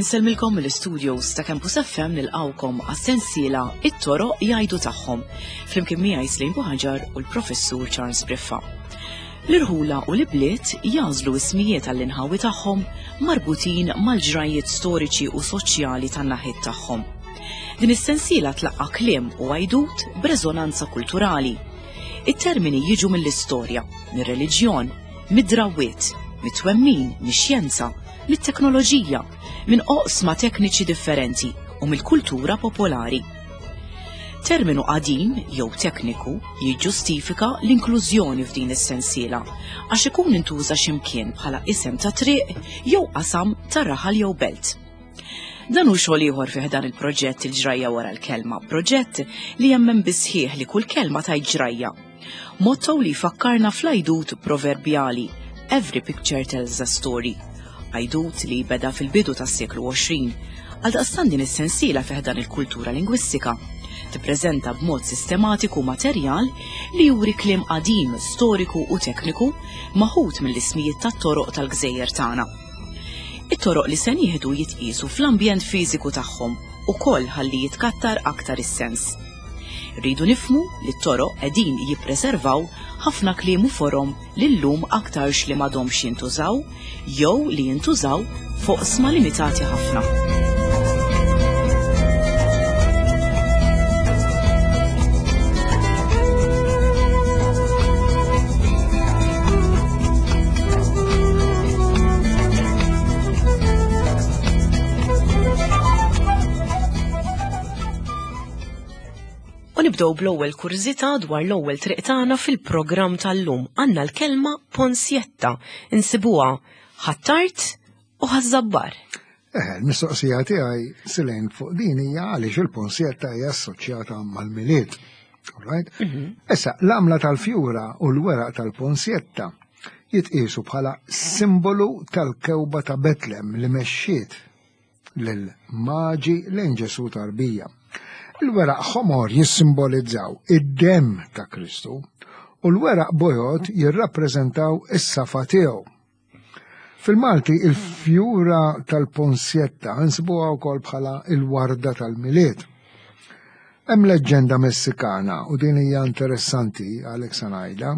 Insellmilkom mill-studios ta' Campus FM nilqawkom għas-sensiela It-toroq jgħidu tagħhom flimkien miegħi Slim Buħaġar u l-Professur Charles Briffa. L-irħula u l-ibliet jagħżlu ismijiet għall-inħawi tagħhom marbutin mal-ġrajjiet storiċi u soċjali tan-naħiet tagħhom. Din is-sensiela tlaqqa' kliem u għajdut b'reżonanza kulturali. It-termini jiġu mill-istorja, mir-reliġjon, mid-drawwiet, mit-twemmin, mix-xjenza, mit-teknoloġija, minn oqsma tekniċi differenti u mill-kultura popolari. Terminu qadim jew tekniku jiġġustifika l-inklużjoni f'din is-sensiela għax ikun intuża x'imkien bħala isem ta' triq jew qasam ta' raħal jew belt. Dan hu xogħol ieħor fih dan il-proġett il-ġrajja wara l-kelma, proġett li jemmen bisħieħ li kull kelma tajt ġrajja. Motto li jfakkarna fl-għajdut proverbjali Every picture tells a story. Għajdut li beda fil-bidu tas-seklu 20. Għaldaqstant din is-sensiela fih dan il-kultura lingwistika tippreżenta b'mod sistematiku materjal li juri kliem qadim, storiku u tekniku maħud mill-ismijiet tat-toroq tal-gżejjer tagħna. It-toroq li se nieħdu jitqiesu fl-ambjent fiżiku tagħhom ukoll ħalli jitkattar aktar is-sens. Irridu nifhmu li t-toroq qegħdin jippreservaw ħafna kliem u forom li llum aktarx li m'għadhomx jintużaw jew li jintużaw f'oqsma limitati ħafna. U nibdew bl-ewwel kurżità dwar l-ewwel triq tagħna fil-programm tal-lum. Għandna l-kelma ponsjetta, insibuha Ħ'Attard u Ħaż-Żabbar. Eh, l-mistoqsija tiegħi silejn fuq din hija għaliex il-ponsjetta hija assoċjata mal-Milied. Right? Mhm. Issa, l-għamla tal-fjura u l-weraq tal-ponsjetta jitqiesu bħala simbolu tal-kewba ta' Betlem li mexxiet lil maġi lejn Ġesu tarbija. Il-weraq ħomor jissimbolizzaw id-demm ta' Kristu u l-weraq bojod jirrappreżentaw is-safa tiegħu. Fil-Malti il-fjura tal-ponsjetta nsibuha wkoll bħala il-warda tal-Milied. Hemm leġġenda Messikana u din hija interessanti għalhekk se ngħidha.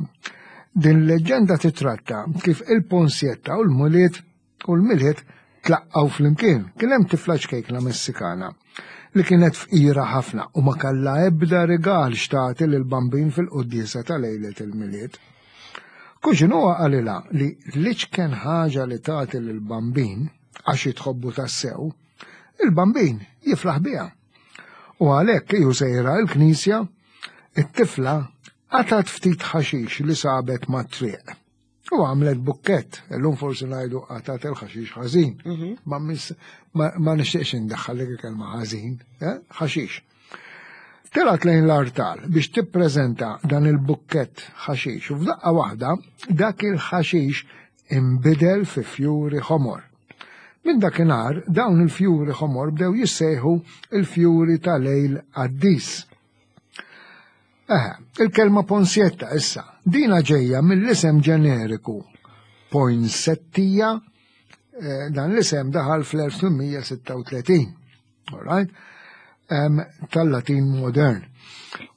Din leġġenda titratta kif il-ponsjetta u l-Milied u l-Milied tlaqqgħu flimkien. Kien hemm tifla ċkejkna Messikana li kienet fqira ħafna u ma kellha ebda rigal x'tagħti lill-Bambin fil-quddiesa ta' lejlet il-Milied. Kuġinuha qalilha li l-iċken ħaġa li tagħti lill-Bambin għax hi tħobbu tassew, il-Bambin jifraħ biha. U għalhekk hi u sejra l-knisja, it-tifla qatgħet ftit ħaxix li sabet mat-triq. U għamlet bukkett, illum forsi ngħidu qatgħet il-ħaxix ħażin. Mhm. Ma nixtieqx indaħħal dik il-kelma ħażin, eh? ħaxix. Telgħet lejn l-artal biex tippreżenta dan il-bukkett ħaxix u f'daqqa waħda dak il-ħaxix inbidel fi fjuri ħomor. Minn dakinhar dawn il-fjuri ħomor bdew jissejħu il-fjuri ta' lejl qaddis. Eħe, il-kelma ponsjetta issa, dina ġejja mill-isem ġeneriku poinsettia, eh, dan l-isem daħal fl-1836. All right? Um, tal-Latin modern.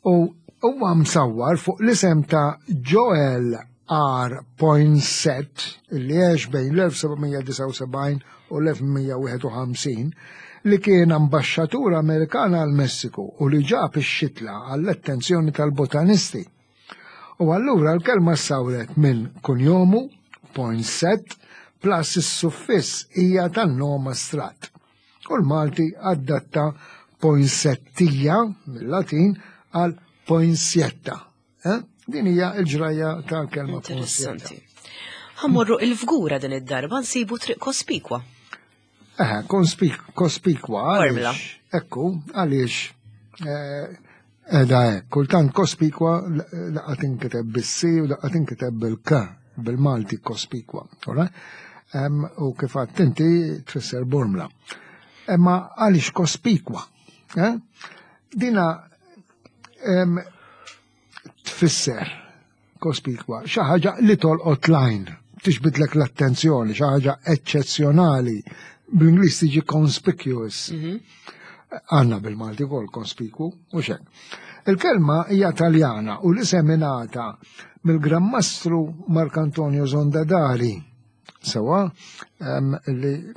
U huwa msawwar fuq l-isem ta' Joel R. Poinsett li għex bejn l-1779 u l-1851 li kien ambaxxatur Amerikan għal Messiku u li ġab ix-xitla għall-attenzjoni tal-botanisti. U allura l-kelma ssawret minn kunjomu, Poinsett, plus is-suffiss hija tan-nom astrat. U l-Malti adatta poinsettija mill-Latin għal poinsietta. Eh? Din hija l-ġrajja tal-kelma poinsietta. Ħammorru il-fgura din id-darba nsibu triq kospikwa. Eh, kospikwa. Ekku, għaliex eh, Edha hekk, kultant kospikwa laqgħa tinkiteb bis-C u laqgħa tinkiteb bil-K, bil-Malti kospikwa. U kif għadt inti tfisser bormla. Imma għaliex kospikwa? Eh? Dina. tfisser kospikwa xi ħaġa li tolqot lajn, tiġbidlek l-attenzjoni, xi ħaġa eċċezzjonali. Bl-Ingliż tiġi conspicuous. Mhm. Għanna bil-Malti wkoll conspicu u xek. Il-kelma hija Taljana u l-isem ingħata mill-Gran Mastru Marcantonio Zondadari Sewa, li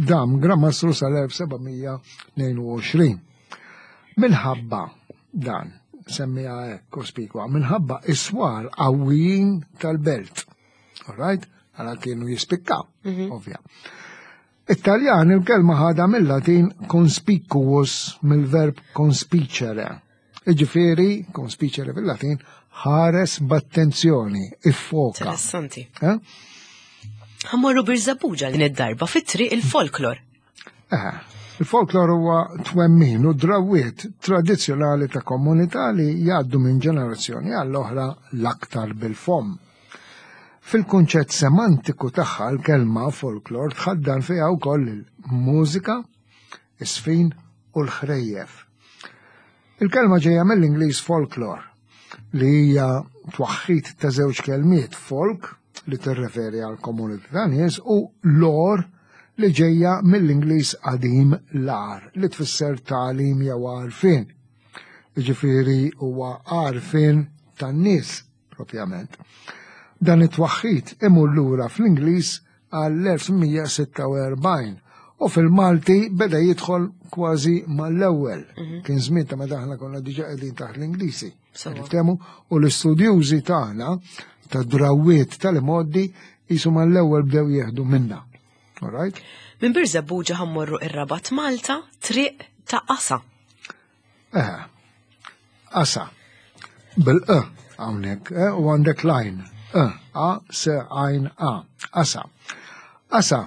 dam Gran Mastru sal-1722. Minħabba dan, semmija hekk kospikwa, minħabba iswar qawwijin tal-belt. All right? Għala kienu jispikkaw, mhm. ovvja. It-Taljan il-kelma ħadha mill-Latin conspicuus mill-verb conspicere. Iġifieri, conspicere fil-Latin, ħares b'attenzjoni, iffoka. Interessanti. Eh? Ħammorru Birżebbuġa din id-darba fit-triq il-folklor. Eh, il-folklor huwa twemmin u drawiet tradizzjonali ta' komunità li jgħaddu minn ġenerazzjoni għall-oħra l-aktar bil-fomm. Fil-kunċett semantiku tagħha l-kelma folklor tħaddan fiha wkoll il-mużika, is-sfin u l-ħrejjef. Il-kelma ġejja mill-Ingliż folklore li hija twaħħid ta' żewġ kelmiet folk li tirreferi għal komunità ta' nies u lore li ġejja mill-Ingliż qadim lar li tfisser tagħlim jew għarfien. Jiġifieri huwa għarfien tan-nies propjament. Dan it-twaħħid imur lura fl-Ingliż għall-1146 u fil-Malti beda jidħol kważi mal-ewwel. Mhm. Kien żmien ta' meta aħna konna diġà qegħdin taħt l-Ingliżi. Niftehmu u l-istudjużi tagħna ta' drawwiet tal-imoddi jisu mal-ewwel bdew jieħdu minna. All right? Minn Birżebbuġa ħammorru ir-Rabat Malta, triq ta' Qasa. Eh, asa. Bil-e hawnhekk, eh, u għandek lajn. E, a, s, għajn, a. Asa. Asa,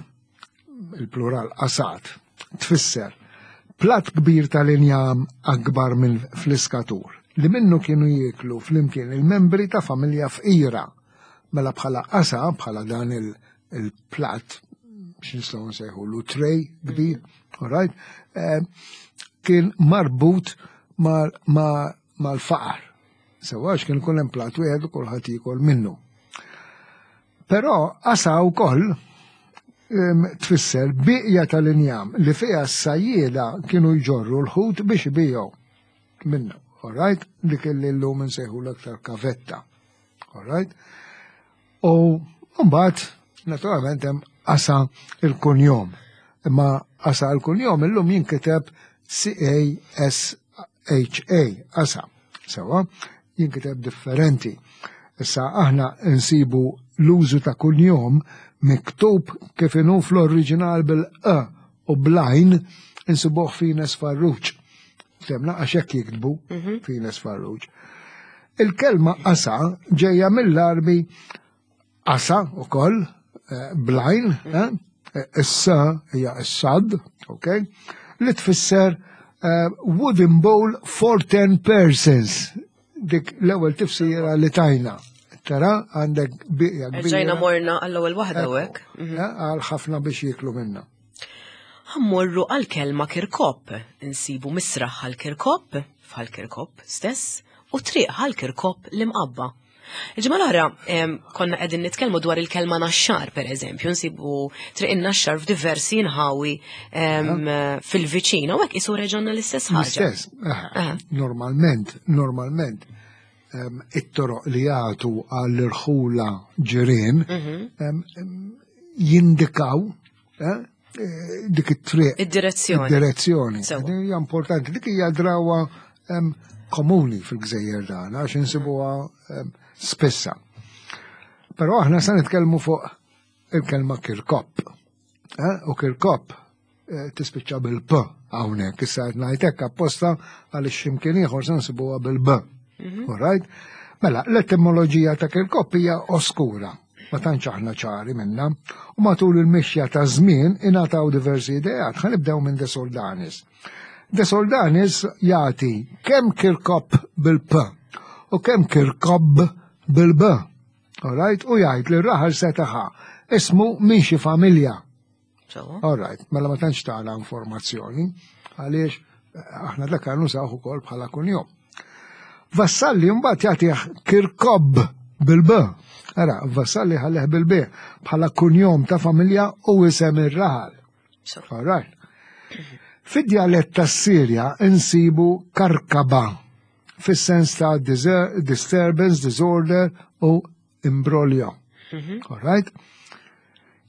il-plural asat, tfisser plat kbir tal-injam akbar minn fliskatur li minnu kienu jieklu flimkien il-membri ta' familja fqira. Mela bħala qasa, bħala dan il-plat, x'nistgħu nsejħu lu tray kbir, mm. all right, eh, kien marbut mal-faqar. Sewa għax kien ikun hemm plat wieħed u kulħadd jiekol minnu. Però qasa wkoll tfisser biqja tal-injam li fiha s-sajjieda kienu jġorru l-ħut biex ibiegħu minnu. All right? Dik li llum insejħu l-aktar kavetta. All right? U mbagħad naturalment hemm qasa il-kunjom. Imma qasa il-kunjom illum jinkiteb C-A-S-H-A, qasa. Sewa, jinkiteb differenti. Issa aħna nsibu l-użu ta' kunjom miktub kif inhu fl-oriġinal bil-e u blajn insibuh fines Farruġ. Temna għax hekk jiktbu mhm. fines Farruġ. Il-kelma qasa ġejja mill-Arbi qasa ukoll eh, blajn, mhm. eh, issa hija s-sad, ok, li tfisser eh, wooden bowl for ten persons. Dik l-ewwel tifsira li tajna. Tara għandek biqja kbira. Ġejna morna għall-ewwel waħda hekk. Mhm. Għal ħafna biex jieklu minna. Ħammorru għall-kelma Kirkop, insibu misraħ Ħal Kirkop, f'Ħal Kirkop stess, u triq Ħal Kirkop l-Imqabba. Il-ġimgħa l-oħra konna qegħdin nitkellmu dwar il-kelma naxxar, per eżempju, nsibu triq in-naxxar f'diversi inħawi fil-viċin, u hekk isu reġonna l-istess ħaġa. L-istess, normalment, normalment, it-toroq li jagħtu għall-irħula ġirien mhm. jindikaw eh, eh, dik it-triq. Id-direzzjoni. Id-direzzjoni. Hija importanti, dik hija drawa komuni fil-gżejjer tagħna għax insibuha spissa. Però aħna se nitkellmu fuq il-kelma kirkop. Eh, u kirkop eh, tispiċċa bil-P hawnhekk, issa qed ngħid hekk apposta għaliex x'imkien ieħor se nsibuha bil-B. Mhm. All right? Mela, l-etimoloġija ta' kirkop hija oskura ma tantx aħna ċari minna, u matul il-mixja ta' żmien ingħataw diversi ideat. Ħa nibdew minn De Soldanis. De Soldanis jagħti kemm Kirkop bil-P u kemm Kirkob bil-B. All right? U jgħid li r-raħal setaħa ismu minn xi familja. All right, mela ma tantx tagħna informazzjoni għaliex eh, aħna dak nużawh ukoll bħala kunjom. Vassalli mbagħad jagħtih Kirkob bil-B. Ara, Vassalli ħalleh bil-B bħala kunjom ta' familja u isem ir-raħal. All right. Fid-djalett tas-Sirja insibu karkaba fis-sens ta' disturbance, disorder u imbroglio. Mhm. All right?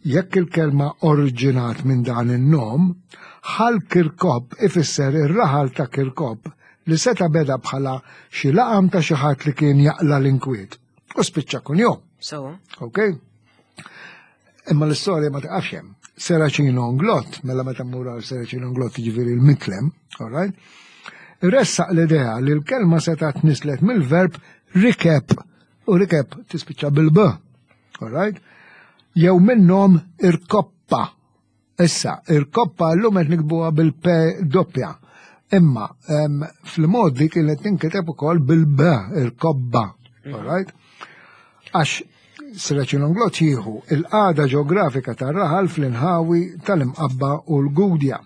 Jekk il-kelma oriġinat minn dan in-nom, Ħal Kirkop ifisser ir-raħal ta' Kirkop li seta' beda bħala xi laqam ta' xi ħadd li kien jaqla l-inkwiet u spiċċa kunjom. So. Ok? Imma l-istorja ma taqafx hemm. Seracino Nglott, mela meta mmur għal Seracino Nglott jiġifieri l-mitlem, all right? Ressaq l-idea li l-kelma seta' tnislet mill-verb rikeb u rikeb tispiċċa bil-b, all right? Jew minnhom irkoppa. Issa, irkoppa llum qed nikbuha bil-p doppja. Imma fl-modi kienet tinkiteb ukoll bil-b, irkobba, all right? Għax Sreċin jieħu il-qagħda ġeografika tar-raħal fl-inħawi tal-Imqabba u l-Gudja.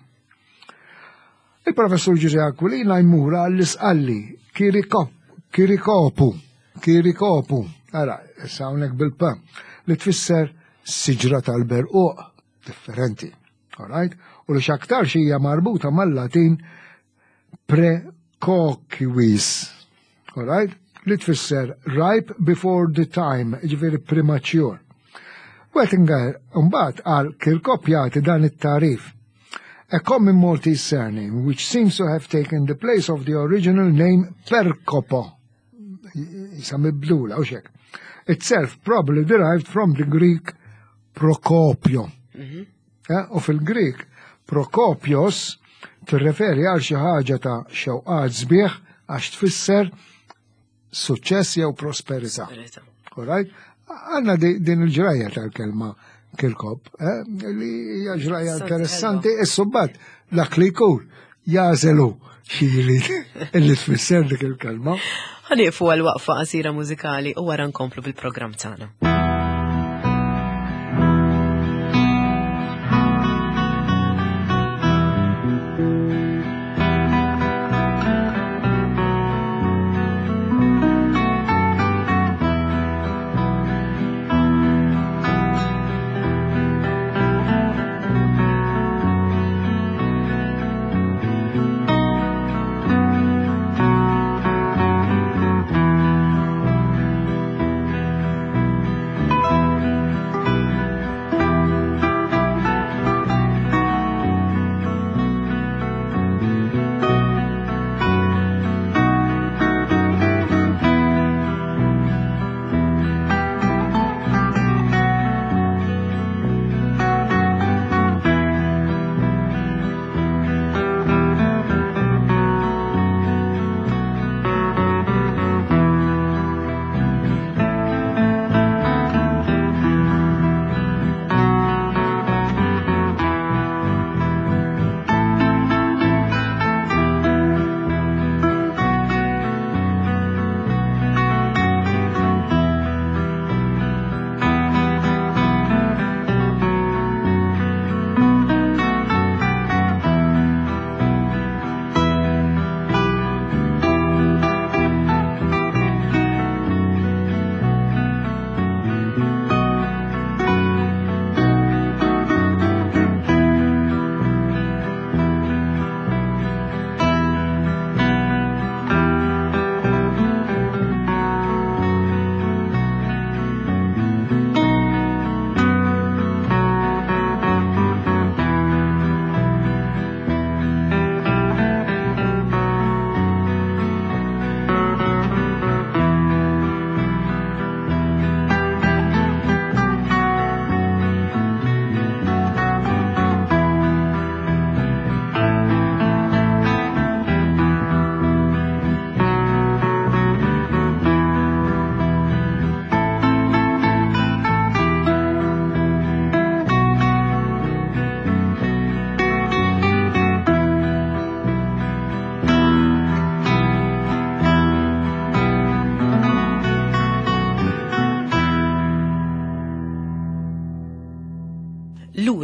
Il-Professur Ġużè Aquilina jmur għall-Isqalli, Kirikopu, Kirikopu, ara, issa hawnhekk bil-P, li tfisser siġra tal-berquq, differenti, all right? U li x'aktarx hija marbuta mal-Latin precoquiis, all right? Li tfisser ripe before the time, ġifieri premature. Wettinger mbagħad għal Kirkop jagħti dan it-tagħrif. A common Maltese surname which seems to have taken the place of the original name Percopo. Jisa mibdula u xek. Itself probably derived from the Greek Procopio. Mhm. Eh, u fil-Greek Prokopios tirreferi għal xi ħaġa ta' xewqat sbieħ għax tfisser suċċess jew prosperità. Alright? Għanna din il-ġrajja tal-kelma Kirkop, eh, li hija ġrajja interessanti, is-subbat dak li jkun jażelu xi jrid illi tfisser dik il-kelma. Ħanieqfu għal waqfa qasira mużikali u wara nkomplu bil-programm tagħna.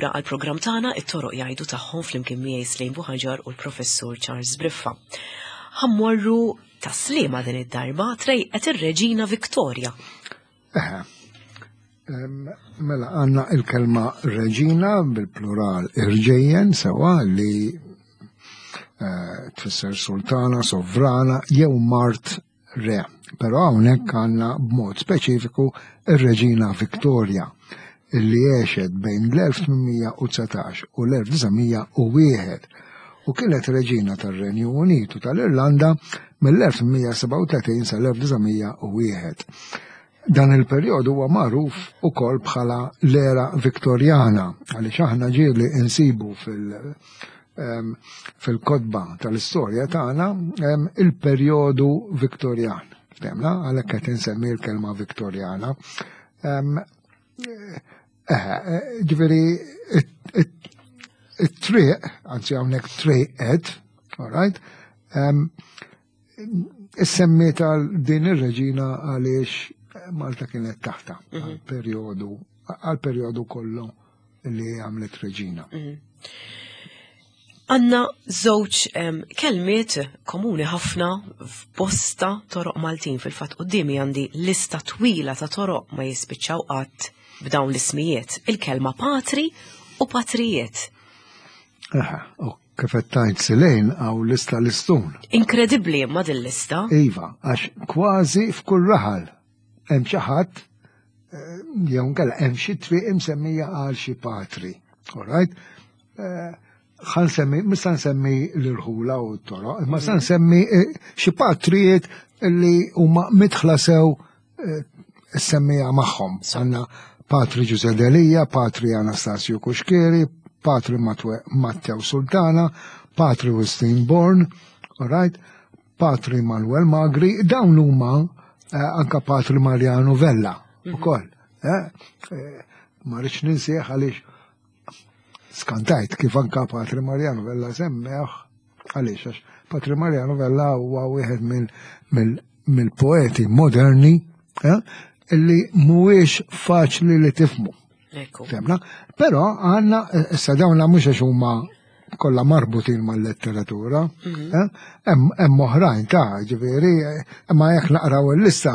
Lura għal programm tagħna it-toroq jgħidu tagħhom flimkien miegħi Slejn Buħaġar u l-Professur Charles Briffa. Ħammorru Tas-Sliema din id-darba trejqet ir-Reġina Victoria. Eħe. Mela għandna il-kelma reġina bil-plural irġejjen sewa li eh, tfisser sultana, sovrana jew mart re. Però hawnhekk għandna b'mod speċifiku ir-Reġina Victoria illi għexet bejn l-1819 u l-1901 u kienet reġina tar-Renju Unit u tal-Irlanda mill-1837 sal-1901. Dan il-perjodu huwa magħruf ukoll bħala l-era Viktorjana għaliex aħna ġieli insibu fil- fil-kotba tal-istorja tagħna il-perjodu Viktorjan. Temna, għalhekk qed insemmi l-kelma Viktorjana. Eh, eh, ġifieri it-triq, anzi hawnhekk triqet, all right, Issemmiet għal din ir-reġina għaliex Malta kienet taħta mhm. għal perjodu għal perjodu kollu li għamlet reġina. Mhm. Għanna żewġ kelmiet komuni ħafna f'bosta toroq Maltin fil-fatt qudiemi għandi lista twila ta' toroq ma jispiċċaw qatt b'dawn l-ismijiet. Il-kelma patri u patrijiet. Aha, Kif qed tgħid Silejn hawn lista listun. Inkredibbli imma din lista. Iva, għax kważi f'kull raħal hemm xi ħadd eh, jew nkella hemm xi triq imsemmija għal xi patri. All right? Eh, ħan semmi, mista nsemmi l-irħula u t-toroq, imma sa nsemmi eh, xi patrijiet li huma mitħla sew semmija magħhom. Għandna Patri Ġuże Delija, Patri Anastasio Kuxkieri, Patri Matteo Sultana, Patri Wistin Born, all right? Patri Manuel Magri, dawn huma eh, anka Patri Mariano Vella mhm. ukoll. Eh, eh, ma rridx ninsieħ għaliex skantajt kif anka Patri Mariano Vella semmeħ għaliex għax Patri Mariano Vella huwa wieħed mill-poeti moderni eh, illi mhuwiex faċli li tifmu. Femna? Però għandna eh, issa dawna mhux għax huma kollha marbutin mal-letteratura, mhm. eh, hemm oħrajn ta' ġifieri, imma jekk naqraw il-lista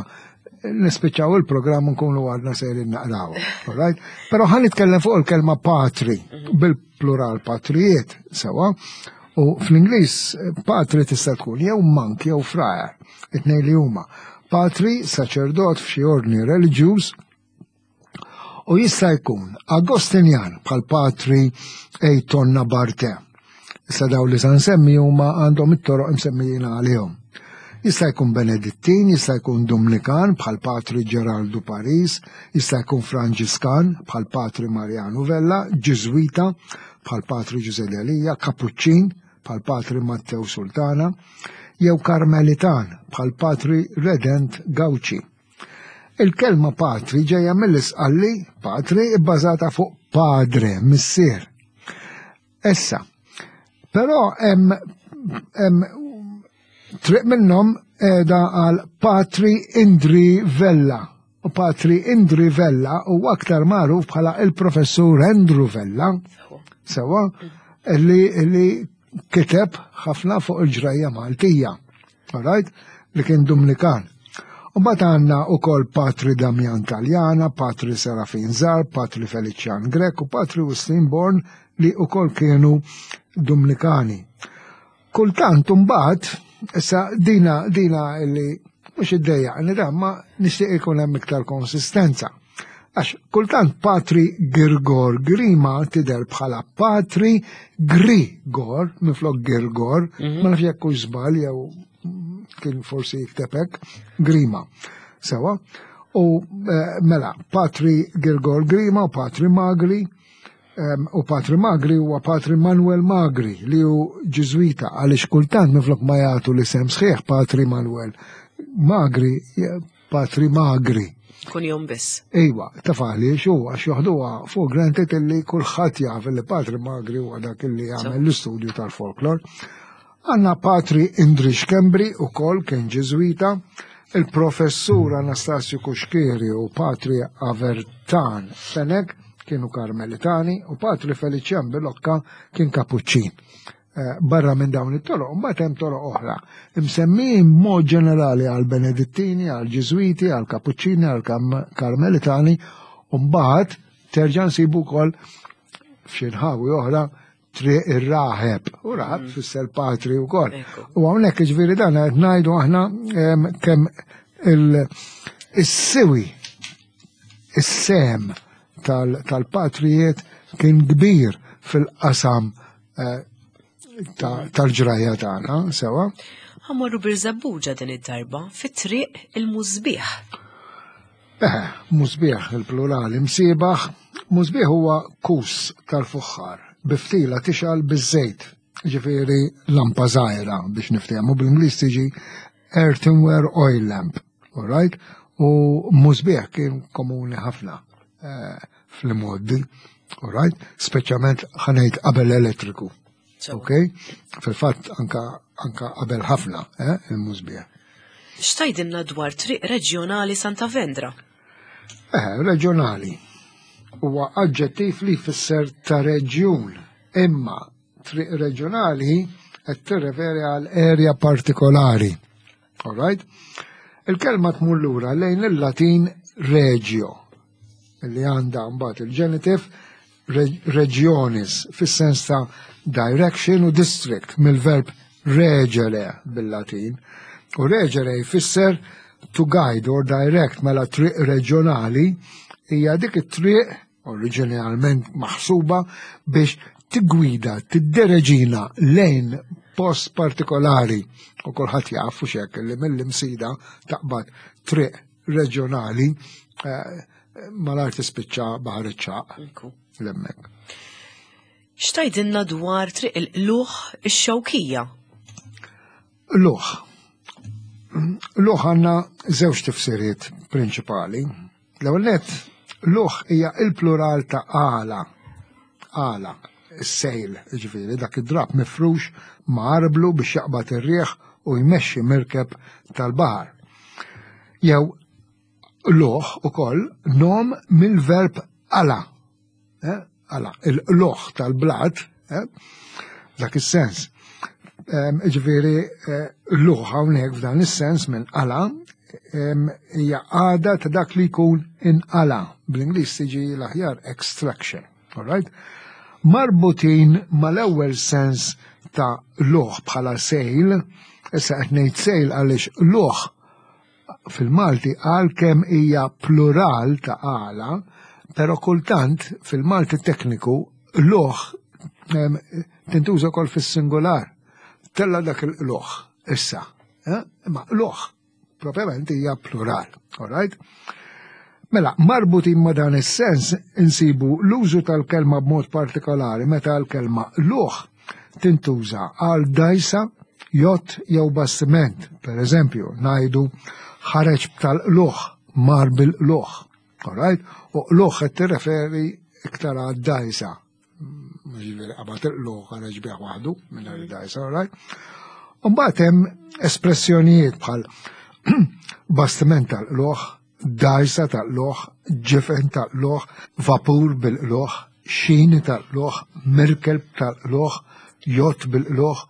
nispiċċaw il-programm nkunu għadna sejrin naqraw. Right? Però ħan nitkellem fuq il-kelma patri, mhm. bil-plural patrijiet, sewa, u fl-Ingliż patri tista' tkun jew monk jew frajer, it-tnejn li huma. Patri, saċerdot f'xi ordni reliġjuż, U jista' jkun Agostinjan bħal patri Ejtonna Barte. Issa daw li sa nsemmi huma għandhom it-toroq imsemmijin għalihom. Jista' jkun Benedittin, jista' jkun Dumnikan bħal Patri Geraldu Paris, jista' jkun Franġiskan bħal Patri Mariano Vella, Ġiżwita bħal Patri Ġuże Delija, Kapuċċin bħal Patri Matteo Sultana, jew Karmelitan bħal Patri Redent Gauci. Il-kelma patri ġejja mill-Isqalli patri bbażata fuq padre, missier. Issa, però hemm hemm triq minnhom qiegħda għal Patri Indri Vella. U Patri Indri Vella huwa aktar magħruf bħala il-Professur Andrew Vella. Sewa, li, li kiteb ħafna fuq il-ġrajja Maltija. Alright? Li kien Dumnikan. U bat għanna u kol Patri Damian Taljana, Patri Serafin Zar, Patri Felician Grek u Patri Wistin Born li u kol kienu Dumnikani. Kultant mbagħad, issa dina dina li mhux iddejjaqni da ma nixtieq ikun hemm iktar konsistenza. Għax kultant Patri Girgor Grima tidher bħala Patri Grigor minflok Girgor, mhm. ma nafx jekk hux żball jew kien forsi jikteb hekk, Grima. Sewa. U eh, mela, Patri Girgor Grima u Patri Magri, u Patri Magri huwa Patri Manuel Magri li hu Ġiżwita għaliex kultant minflok ma jagħtu l-isem sħiħ Patri Manuel Magri Patri Magri. Kun jom biss. Iva, taf għaliex u għax joħduha fuq granted illi kulħadd jaf li Patri Magri huwa dak illi jagħmel l-istudju tal-folklor. Għanna Patri Indri Xkembri u kol kien ġiżwita, il-professur Anastasju Kuxkieri u Patri Avertan Fenek kienu Karmelitani u Patri Felician Bilocca kien Kapuċċin. Eh, barra minn dawn it-toroq, mbagħad hemm toroq oħra. Imsemmijin mod ġenerali għal Benedittini, għal Ġiżwiti, għal Kapuċċini, għal Karmelitani, u mbagħad terġa' nsibu wkoll f'xi nħawi oħra triq ir-raħeb. U raħeb mm. fisser patri wkoll. U hawnhekk ġifieri dan qed ngħidu aħna kemm il-siwi is-sem tal-patrijiet kien kbir fil-qasam eh, tal-ġrajja tagħna, sewa. Ħammorru Birżebbuġa din id-darba fit-triq il-Musbieħ. Eh, musbieħ il-plurali msiebaħ, musbieħ huwa kus tal-fuħħar biftila tixal biż-żejt, ġifieri lampa żgħira biex niftehmu bl-Ingliż tiġi earthenware oil lamp, all right? U musbieħ kien komuni ħafna eh, fl-modi, all right? Speċjalment ħanejt qabel elettriku. Ok? Fil-fatt anka anka qabel ħafna, eh, il-musbieħ. X'tajdilna dwar triq reġjonali Santa Vendra? Eh, reġjonali huwa aġġettiv li jfisser ta' reġjun, imma triq reġjonali qed tirreferi għal area partikolari. All right? Il-kelma tmur lura lejn il-Latin regio, li għandha mbagħad il-genitive regionis fis-sens ta' direction u district mill-verb regere bil-Latin. U regere jfisser to guide or direct mela triq reġjonali hija dik it-triq oriġinalment maħsuba biex tigwida, tiddereġina lejn post partikolari u kulħadd jaf u xek li mill-imsida taqbad triq reġjonali eh, malar tispiċċa baħar iċ-ċaq l-emmek. X'tajdilna dwar triq il-qluħ ix-xewkija? Luħ. Luħ għandna żewġ tifsiriet prinċipali. L-ewwel nett, luħ hija il-plural ta' għala. Għala, is-sejl, ġifieri dak id-drap mifrux ma' arblu biex jaqbad ir-riħ u jmexxi mirkeb tal-baħar. Jew luħ ukoll nom mill-verb għala. Eh, għala, il-loħ tal-blat, eh, dak is-sens. Ġifieri, eh, l-loħ hawnhekk f'dan is-sens minn qala hija għada ta' dak li jkun inqala. Bl-Ingliż tiġi l-aħjar extraction. All right? Marbutin mal-ewwel sens ta' loħ bħala sejl, issa qed ngħid sejl għaliex loħ fil-Malti għalkemm hija plural ta' għala, però kultant fil-Malti tekniku loħ tintuża wkoll fis-singular. Tella dak il-loħ issa. Eh? Imma loħ propjament hija plural, all right? Mela, marbutin ma' dan is-sens insibu l-użu tal-kelma b'mod partikolari meta l-kelma luħ tintuża għal dgħajsa, jott jew bastiment. Per eżempju, ngħidu ħareġ tal-qluħ, mar bil-qluħ. Alright? U qluħ qed tirreferi iktar għad dgħajsa. Ġifieri qabad il-qluħ ħareġ bih waħdu minn dgħajsa, alright? Mbagħad hemm espressjonijiet bħal bastiment tal-qluħ, dgħajsa tal-qluħ, ġifen tal-qluħ, vapur bil-qluħ, xini tal-qluħ, mirkelb tal-qluħ, jott bil-qluħ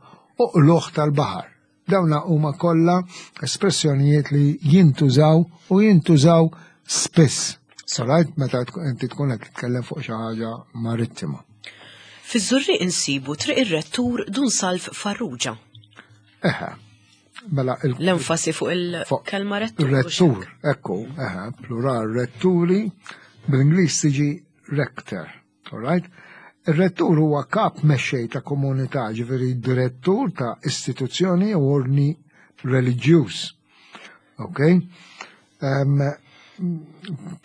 u qluħ tal-baħar. Dawna huma kollha espressjonijiet li jintużaw u jintużaw spiss. Sarajt meta inti tkun qed titkellem fuq xi ħaġa marittima. Fiż-Żurrieq insibu Triq ir-Rettur Dun Salv Farrugia. Eħe. Mela l-enfasi fuq il-kelma rettur. Rettur, ekku, eħe, plural retturi, bl-Ingliż tiġi rector, all right? Ir-rettur huwa kap mexxej ta' komunità, ġifieri direttur ta' istituzzjoni u ordni reliġjuż. Ok?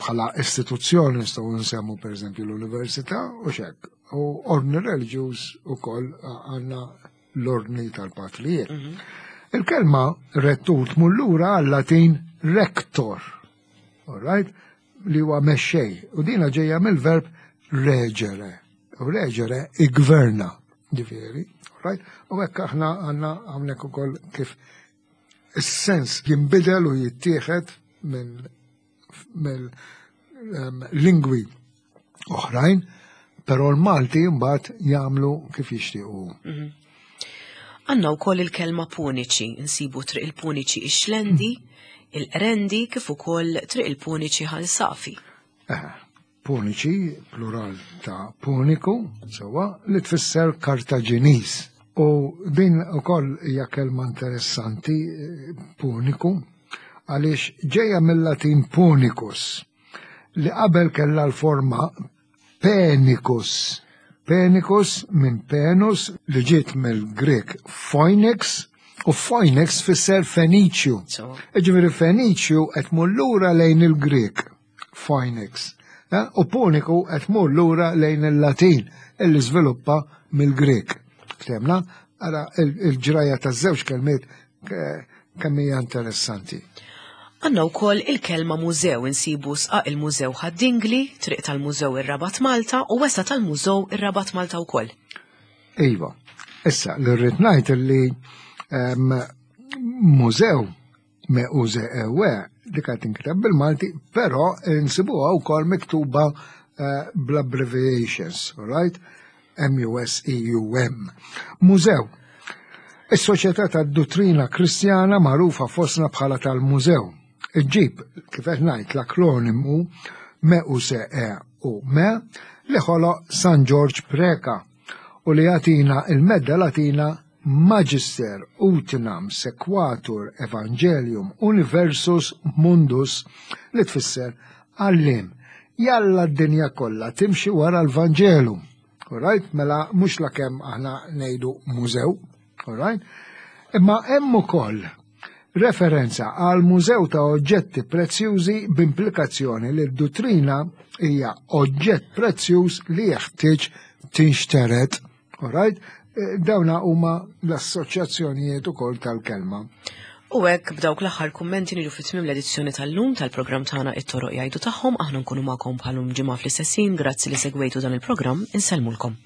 Bħala istituzzjoni nistgħu nsemmu pereżempju l-università u xek. U ordni reliġjuż ukoll għandna l-ordni tal-patrijiet. Mhm. Il-kelma rettur tmur lura għal-Latin rector, all right? li huwa mexxej, u dina ġejja mill-verb reġere. U reġere igverna, ġifieri, all right? U hekk aħna għandna hawnhekk ukoll kif is-sens jinbidel u jittieħed minn mill-lingwi oħrajn, però l-Malti mbagħad jagħmlu kif jixtiequ. Mhm. Għandna wkoll il-kelma Puniċi, insibu Triq il-Puniċi ix-Xlendi, il-Qrendi kif ukoll Triq il-Puniċi Ħal Safi. Eh, Puniċi, plural ta' Puniku, sewwa, li tfisser Kartaġiniż. U din ukoll hija kelma interessanti, eh, Puniku, għaliex ġejja mill-Latin Punicus, li qabel kellha l-forma Penicus. Penicus minn Penus li ġiet mill-Grek Phoenix u Phoenix fisser Feniċju. Ġifieri Feniċju qed mur lura lejn il-Grek Phoenix. Eh, u Puniku qed mur lura lejn il-Latin illi żviluppa mill-Grek. Ftemna? Ara il-ġraja taż-żewġ kelmiet kemm hija interessanti. Għandna wkoll il-kelma mużew insibu sqaq il-Mużew Ħad-Dingli, Triq tal-Mużew ir-Rabat Malta u wesa tal-Mużew ir-Rabat Malta wkoll. Iva, issa li rrid ngħid li ehm, mużew me uże ewe dik qed tinkiteb bil-Malti, però nsibuha wkoll miktuba eh, bl-abbreviations, all right? MUSEUM. Mużew. Is-Soċjetà tad-Duttrina Kristjana magħrufa fostna bħala tal-Mużew. Iġġib, kif qed ngħid, l-akronimu MUSE u ME li ħoloq San Ġorġ Preca u li jagħtina il-medda Latina Magister Utinam Sequatur Evangelium Universus Mundus li tfisser Għalliem, jalla d-dinja kollha timxi wara l-Vanġelu. Alright, mela mhux la kemm aħna ngħidu mużew, alright? Imma hemm ukoll referenza għal mużew ta' oġġetti prezzjużi b'implikazzjoni li d-duttrina hija oġġett prezzjuż li jeħtieġ tinxtered. Alright? Eh, dawna huma l-assoċjazzjonijiet ukoll tal-kelma. U hekk b'dawk l-aħħar kummenti niġu fi tmiem l-edizzjoni tal-lum tal-programm tagħna it-toroq jgħidu tagħhom aħna nkunu magħkom bħalum ġimgħa fl-istessin grazzi li segwejtu dan il-programm insellmulkom.